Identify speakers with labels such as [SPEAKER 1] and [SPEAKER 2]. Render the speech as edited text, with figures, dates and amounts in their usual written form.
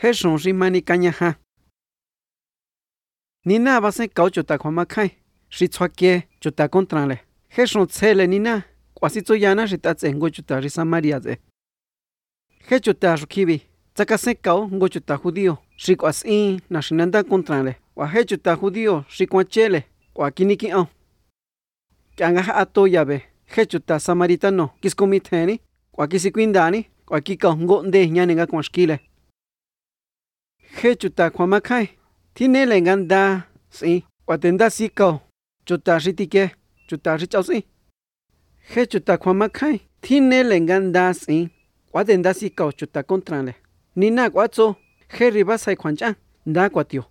[SPEAKER 1] hết sống ri mani canya ha nina va se cau chuta khoma khai ri chhuake chuta contra le hết sống chele nina quasi tsoyana ri ta tsengo chuta ri Samaria ze hết chuta rukibi tsaka se cau ngo chuta judío ri quasi na shinanda contra le wa hết chuta judío ri kwachele kwa kiniki au kyanga ato yabe hết chuta samaritano kiskomitheni kwa kisikwindani kwa kika ngonde nyane nga kwashkile hết chuta khoma khai thinele nganda si watenda sikao chuta ritike chuta ri chausi hết chuta khoma khai thinele nganda si watenda sikao chuta contra le nina kwacho hết riba sai khwancha nda kwatio